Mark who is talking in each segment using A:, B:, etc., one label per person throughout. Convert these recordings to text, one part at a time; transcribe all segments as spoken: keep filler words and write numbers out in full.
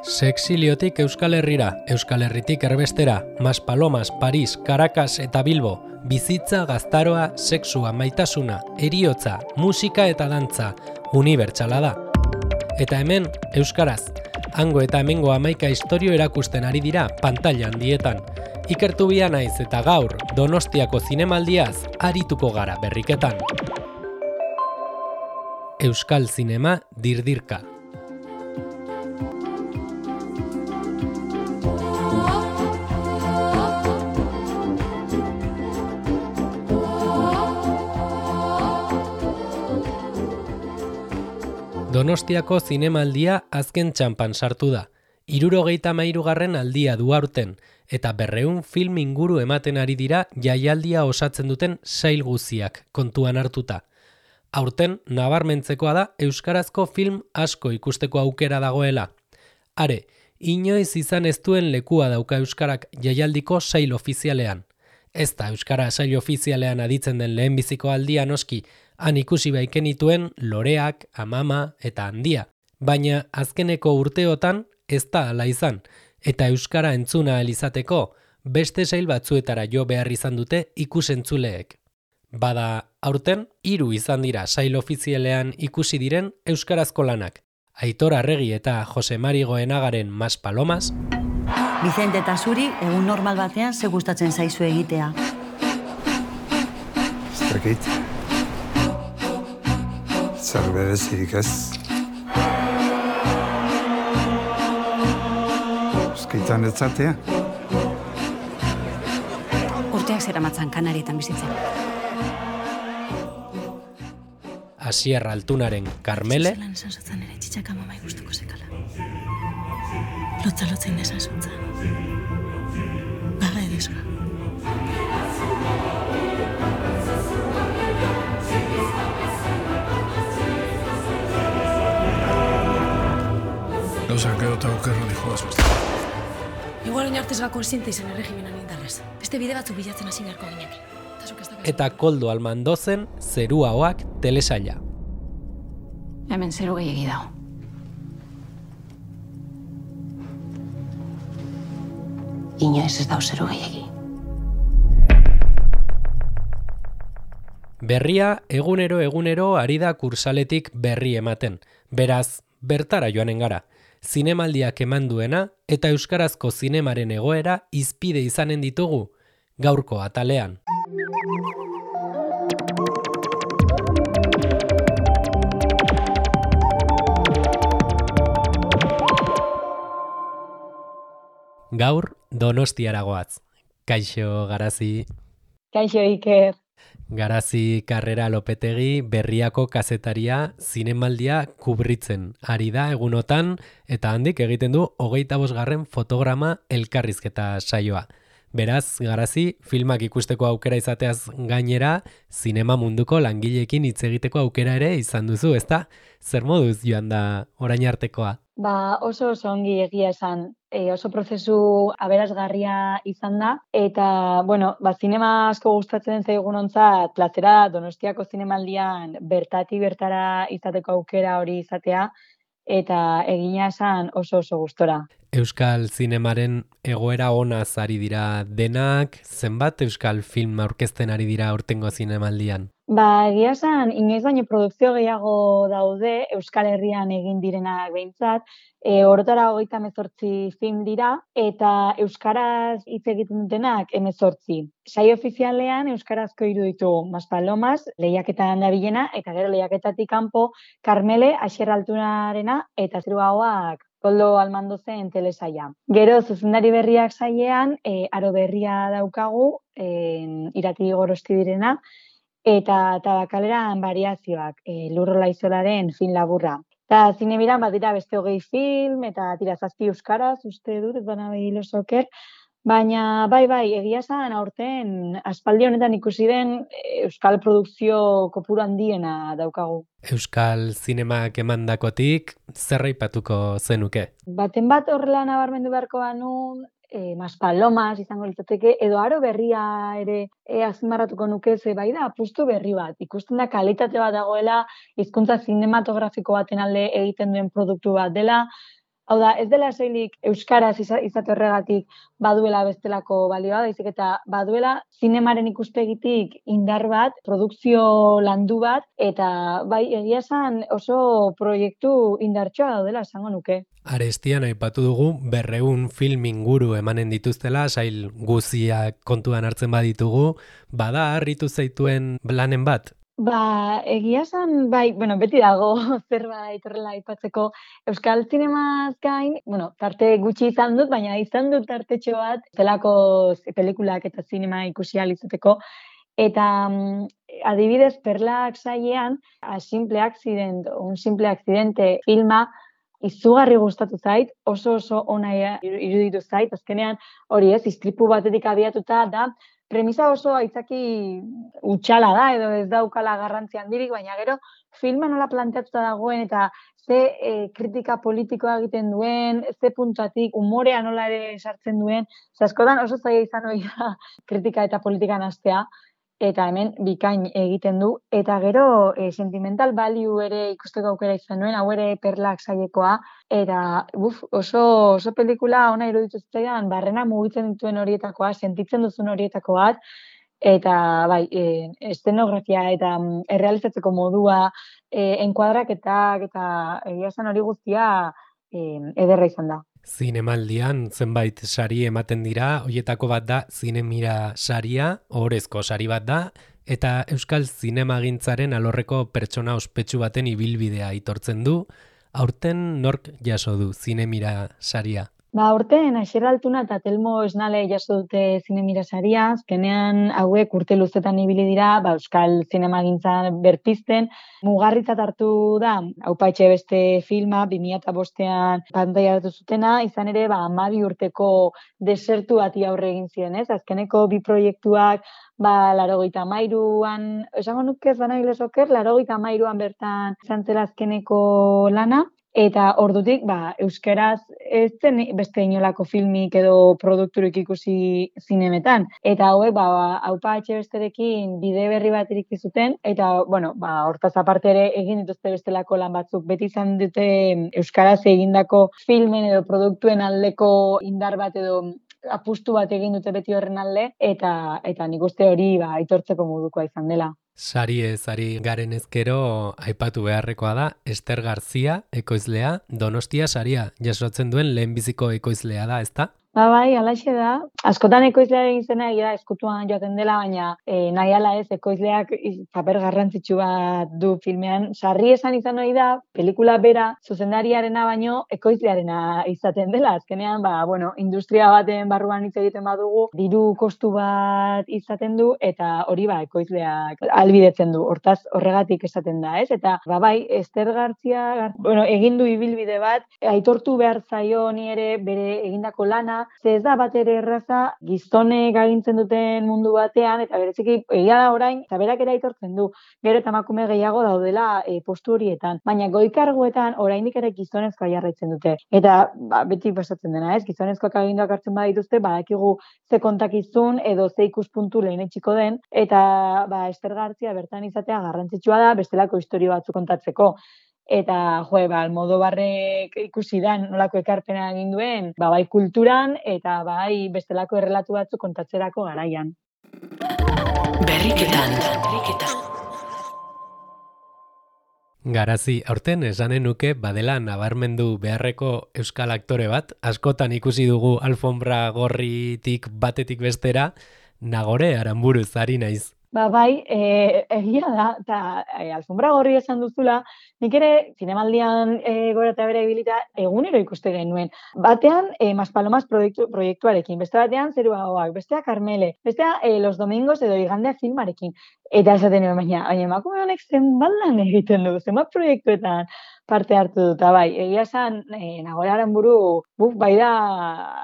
A: Sexiliotik Euskal Herrira, Euskal Herritik erbestera, Maspalomas, Paris, Caracas eta Bilbo, bizitza, gaztaroa, sexua, maitasuna, heriotza, musika eta dantza, unibertsala da. Eta hemen, euskaraz, hango eta hemengo hamaika istorio erakusten ari dira pantaila handietan. Ikertu bia naiz eta gaur, Donostiako zinemaldiaz, arituko gara berriketan. Euskal Zinema dirdirka. Donostiako zinemaldia azken txanpan sartu da. Hirurogeita hamairugarren aldia du aurten, eta berrehun film inguru ematen ari dira jaialdia osatzen duten sail guziak kontuan hartuta. Aurten nabarmentzekoa da euskarazko film asko ikusteko aukera dagoela. Are, inoiz izan ez duen lekua dauka euskarak jaialdiko sail ofizialean. Ez da euskara sail ofizialean aditzen den lehenbiziko aldia noski, han ikusi baikenituen Loreak, Amama eta Handia. Baina azkeneko urteotan ez da hala izan, eta euskara entzuna ahal izateko beste sail batzuetara jo behar izan dute ikusentzuleek. Bada, aurten hiru izan dira sail ofizialean ikusi diren euskarazko lanak. Aitor Arregi eta Jose Mari Goenagaren Maspalomas.
B: Vicente eta zuri, egun normal batean ze gustatzen zaizu egitea.
C: Ez dakit. Zer berezirik ez. Euskaitan etzatea.
B: Urteak zera matzan Kanarietan bizitzen.
A: Asier Altunaren Karmele.
B: Zelan esan zutzen ere txitxaka mamai gustuko zekala. Lotza lotza indesan zutzen. Baga edizka.
C: Gauzak gero eta okerro dijo azuzta.
B: Igual oinartez gako esinta izan erregimenan indarrez. Beste bide batzuk bilatzen hasi beharko ginekin.
A: Eta Koldo Almandozen Zerua Oak telesaila.
B: Hemen zeru gehiagi dago. Inoiz ez dau zeru gehiagi.
A: Berria egunero egunero ari da kursaletik berri ematen. Beraz, bertara joanen gara. Zinemaldiak eman duena eta euskarazko zinemaren egoera hizpide izanen ditugu gaurko atalean. Gaur Donostiara goaz. Kaixo Garazi.
D: Kaixo Iker.
A: Garazi Karrera Lopetegi berriako kazetaria zinemaldia kubritzen ari da egunotan eta handik egiten du hogeita bosgarren fotograma elkarrizketa saioa. Beraz, Garazi, filmak ikusteko aukera izateaz gainera, zinema munduko langileekin hitz egiteko aukera ere izan duzu, ezta? Zer moduz joan da orain artekoa?
D: Ba, oso oso ongi egia esan, e, oso prozesu aberasgarria izan da, eta, bueno, ba, zinema asko gustatzen zaigunontzat, plazera Donostiako zinemaldian bertatik bertara izateko aukera hori izatea, eta egina esan oso oso gustora.
A: Euskal zinemaren egoera onaz ari dira denak, zenbat euskal film aurkezten ari dira aurtengo zinemaldian?
D: Ba, egia esan, inoiz baino produkzio gehiago daude Euskal Herrian egin direnak behintzat, e, orotara hogeita hemezortzi film dira, eta euskaraz hitz egiten dutenak hemezortzi. Saio ofizialean euskarazko hiru ditugu, Maspalomas, lehiaketan dabilena, eta gero lehiaketatik kanpo Karmele, Asier Altunarena, eta Zerua Oak Koldo Almandozen telesaila. Gero, zuzendari berriak sailean, e, aro berria daukagu, e, irati gorosti direna, eta tabakaleran variazioak, e, Lurrola Izolaren film laburra. Eta zinebiran badira beste hogei film, eta tira zazpi euskaraz, uste dut, ez bana behilo soker, baina bai, bai, egia esan aurten aspaldi honetan ikusi den euskal produkzio kopuru handiena daukagu.
A: Euskal zinemak emandakotik zer aipatuko zenuke?
D: Baten bat horrela nabarmendu beharko banu, e, Maspalomas izango litzateke, edo aro berria ere e, azpimarratuko nuke, ze bai da apustu berri bat. Ikusten da kalitate bat dagoela, hizkuntza zinematografiko baten alde egiten duen produktu bat dela, Hau da, ez dela soilik euskaraz iza- izate horregatik baduela bestelako balioa, baizik eta baduela zinemaren ikuspegitik indar bat, produkzio landu bat, eta bai, egia esan oso proiektu indartsoa daudela esango nuke.
A: Arestian aipatu dugu berreun film inguru emanen dituztela, sail guziak kontuan hartzen baditugu, bada harritu zaituen lanen bat?
D: Ba, egia esan, bai, bueno, beti dago zerbait horrela aipatzeko. Euskal zinemaz gain, bueno, tarte gutxi izan dut, baina izan dut tartetxo bat, zelako pelikulak eta zinema ikusi ahal izateko. Eta mm, adibidez, Perlak sailean, A Simple Accident, un simple accidente filma, izugarri gustatu zait, oso oso ona iruditu zait, azkenean hori ez, istripu batetik abiatuta da, premisa oso aitzaki utxala da, edo ez daukala garrantzi handirik, baina gero filma nola planteatuta dagoen eta ze e, kritika politikoa egiten duen, ze puntatik, umorea nola ere sartzen duen, ze askotan oso zaila izan hori da kritika eta politikan hastea, eta hemen bikain egiten du, eta gero e, sentimental value ere ikusteko aukera izan nuen, hau ere Perlak sailekoa, eta uf, oso, oso pelikula ona iruditu zitzaidan, barrena mugitzen dituen horietakoa, sentitzen duzun horietako bat, eta bai, e, estenografia eta mm, errealizatzeko modua, e, enkuadraketak eta egia esan hori guztia e, ederra izan da.
A: Zinemaldian zenbait sari ematen dira, hoietako bat da Zinemira saria, ohorezko sari bat da, eta Euskal Zinemagintzaren alorreko pertsona ospetsu baten ibilbidea aitortzen du, aurten nork jaso du Zinemira saria?
D: Ba, urten, Asier Altuna eta Telmo Esnale jaso dute Zinemira saria, azkenean hauek urte luzetan ibili dira, ba, Euskal Zinemagintzan berpizten, mugarritzat hartu da, Aupaitxe beste filma, bi mila bostean pantaila hartu zutena, izan ere, ba, hamabi urteko desertu bati aurre egin ziren, ez? Azkeneko bi proiektuak, ba, larogeita hamairuan, esango nuke ez bana gilesoker, larogeita hamairuan bertan izan zela azkeneko lana, eta ordutik, ba, euskaraz ez zen beste inolako filmik edo produkturik ikusi zinemetan. Eta hauek, ba, Aupa Etxebesterekin bide berri bat iriki zuten, eta, bueno, ba, hortaz aparte ere egin dituzte bestelako lan batzuk. Beti izan dute euskaraz egindako filmen edo produktuen aldeko indar bat edo apustu bat egin dute beti horren alde, eta eta nik uste hori ba, aitortzeko modukoa izan dela.
A: Sari ez ari garen ezkero aipatu beharrekoa da, Ester Garzia, ekoizlea, Donostia saria jasotzen duen lehenbiziko ekoizlea da, ezta?
D: Ba, bai, alaxe da. Askotan ekoizlearen izena egia eskutuan joaten dela, baina e, nahi ala ez, ekoizleak paper garrantzitsu bat du filmean. Sarri esan izan hori da, pelikula bera, zuzendariarena baino, ekoizlearena izaten dela. Azkenean, ba, bueno, industria baten barruan hitz egiten badugu, diru kostu bat izaten du, eta hori ba, ekoizleak albidetzen du. Hortaz, horregatik esaten da, ez? Eta, ba, bai, Ester Garzia, bueno, egin du ibilbide bat, aitortu behar zaio ni ere bere egindako lana, ze ez da bat ere erraza gizonek agintzen duten mundu batean, eta bereziki egia da orain, eta berak ere aitortzen du, gero eta emakume gehiago daudela e, postu horietan, baina goikarguetan oraindik ere gizonezkoa jarraitzen dute. Eta ba, beti pasatzen dena, ez? Gizonezkoak aginduak hartzen baditu badakigu ze kontakizun edo ze ikuspuntu lehenetsiko den, eta ba, Ester Garzia bertan izatea garrantzitsua da bestelako istorio batzuk kontatzeko. Eta, jo, ba, Almodobarrek ikusi da nolako ekarpena egin duen, ba, bai kulturan eta bai bestelako errelatu batzuk kontatzerako garaian.
E: Berriketan, berriketan.
A: Garazi, aurten esanen nuke badela nabarmendu beharreko euskal aktore bat, askotan ikusi dugu alfombra gorritik batetik bestera, Nagore Aranburuz ari naiz.
D: Ba, bai, e, egia da, eta e, alfombra gorri esan duzula, nik ere zinemaldian e, gora eta bere ibilita egunero ikuste genuen. Batean, e, Maspalomas proiektu, proiektuarekin, beste batean, Zerua Hoak, bestea Karmele, bestea e, Los Domingos edo Igandea filmarekin. Eta esaten nuen, baina, baina emakume honek zenbat lan egiten du, zenbat proiektuetan parte hartu dut, bai, egia esan, e, Nagore Aranburu, buf, bai da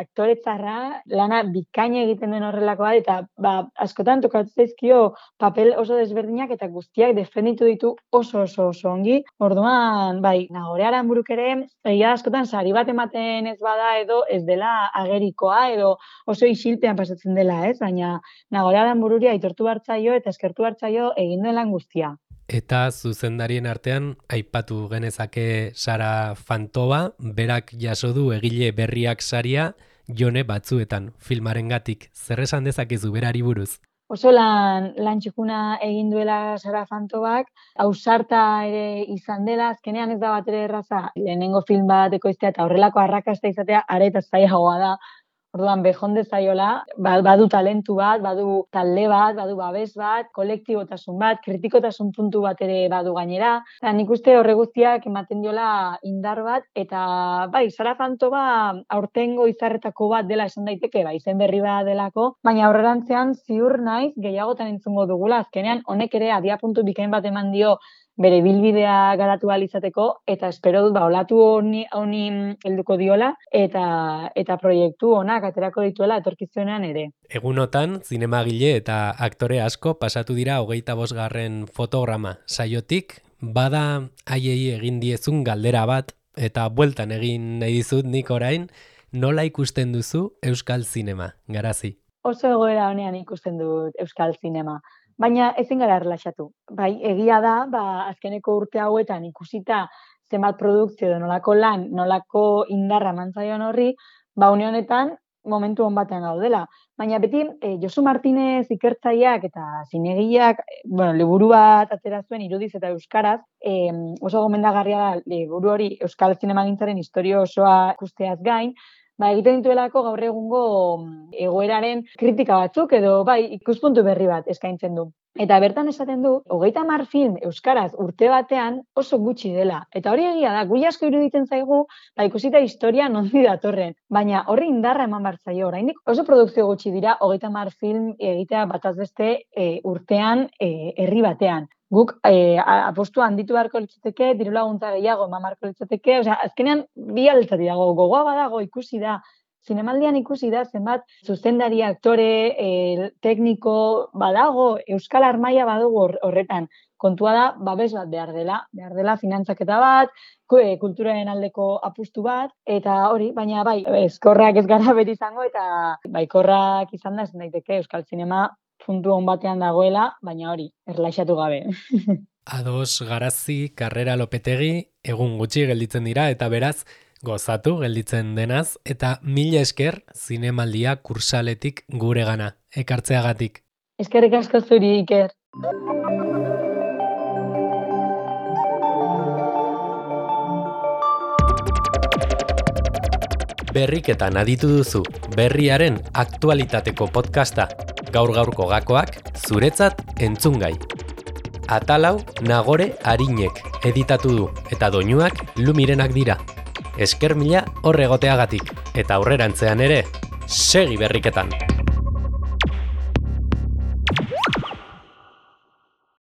D: aktoretzarra, lana bikaina egiten den horrelakoa, eta ba, askotan tokatu zaizkio papel oso desberdinak eta guztiak defenditu ditu oso oso oso ongi. Orduan, bai, Nagore Aranburuk ere, egia askotan sari bat ematen ez bada edo ez dela agerikoa edo oso isilpean pasatzen dela, ez? Baina Nagore Aranbururi aitortu hartzaio eta eskertu hartzaio egin den lan guztia.
A: eta zuzendarien artean aipatu genezake Sara Fantova, berak jaso du egile berriak saria Jone batzuetan filmarengatik. Zer esan dezakezu berari buruz?
D: Oso lan, lan txukuna egin duela Sara Fantovak, ausarta ere izan dela, azkenean ez da bat ere erraza, lehenengo film bat ekoiztea eta horrelako arrakasta izatea are eta zailagoa da. Orduan, bejonde zaiola, badu talentu bat, badu talde bat, badu babes bat, kolektibotasun bat, kritikotasun puntu bat ere badu gainera. Eta nik uste horre guztiak ematen diola indar bat, eta bai, Sara Fantova aurtengo izarretako bat dela esan daiteke, bai, izen berri bat delako, baina aurrerantzean ziur naiz gehiagotan entzungo dugula, azkenean honek ere abiapuntu bikain bat eman dio bere bilbidea garatu ahal izateko, eta espero dut, ba, olatu honi, honi helduko diola, eta eta proiektu onak aterako dituela etorkizunean ere.
A: Egunotan, zinemagile eta aktore asko pasatu dira hogeita bosgarren fotograma saiotik, bada haiei egin diezun galdera bat, eta bueltan egin nahi dizut nik orain, nola ikusten duzu euskal zinema, Garazi?
D: Oso egoera honean ikusten dut euskal zinema. Baina ezin gara erlaxatu. Bai, egia da, ba, azkeneko urte hauetan ikusita zenbat produkzio edo nolako lan, nolako indarra mantzaion horri, ba, une honetan momentu hon batean gaudela. Baina beti, e, Josu Martinez ikertzaileak eta zinegileak, bueno, liburu bat atera zuen irudiz eta euskaraz, e, oso gomendagarria da liburu hori euskal zinemagintzaren historia osoa ikusteaz gain, ba, egiten dituelako gaur egungo egoeraren kritika batzuk edo bai ikuspuntu berri bat eskaintzen du. Eta bertan esaten du, hogeita hamar film euskaraz urte batean oso gutxi dela. Eta hori egia da, guri asko iruditzen zaigu, ba, ikusita historia nondi datorren. Baina horri indarra eman bartzaio, oraindik oso produkzio gutxi dira hogeita hamar film egitea bataz beste e, urtean e, herri batean. Guk e, apostu handitu beharko litzateke, diru laguntza gehiago eman beharko litzateke, osea, azkenean bi aldetik dago, gogoa badago ikusi da, zinemaldian ikusi da zenbat zuzendari, aktore, e, tekniko badago, euskal armaia badugu horretan. Kontua da, babes bat behar dela, behar dela finantzaketa bat, kulturaren aldeko apustu bat, eta hori, baina bai, ezkorrak ez gara beti izango, eta baikorrak izan da, esan daiteke euskal zinema puntu hon batean dagoela, baina hori, erlaxatu gabe.
A: Ados, Garazi, Karrera Lopetegi, egun gutxi gelditzen dira, eta beraz, gozatu gelditzen denaz, eta mila esker zinemaldia kursaletik gure gana, ekartzeagatik.
D: Eskerrik asko zuri, Iker.
A: Berriketan aditu duzu, berriaren aktualitateko podcasta, gaur-gaurko gakoak, zuretzat entzungai. Atalau Nagore Arinek editatu du, eta doinuak Lumirenak dira. Esker mila hor egoteagatik, eta aurrerantzean ere, segi berriketan!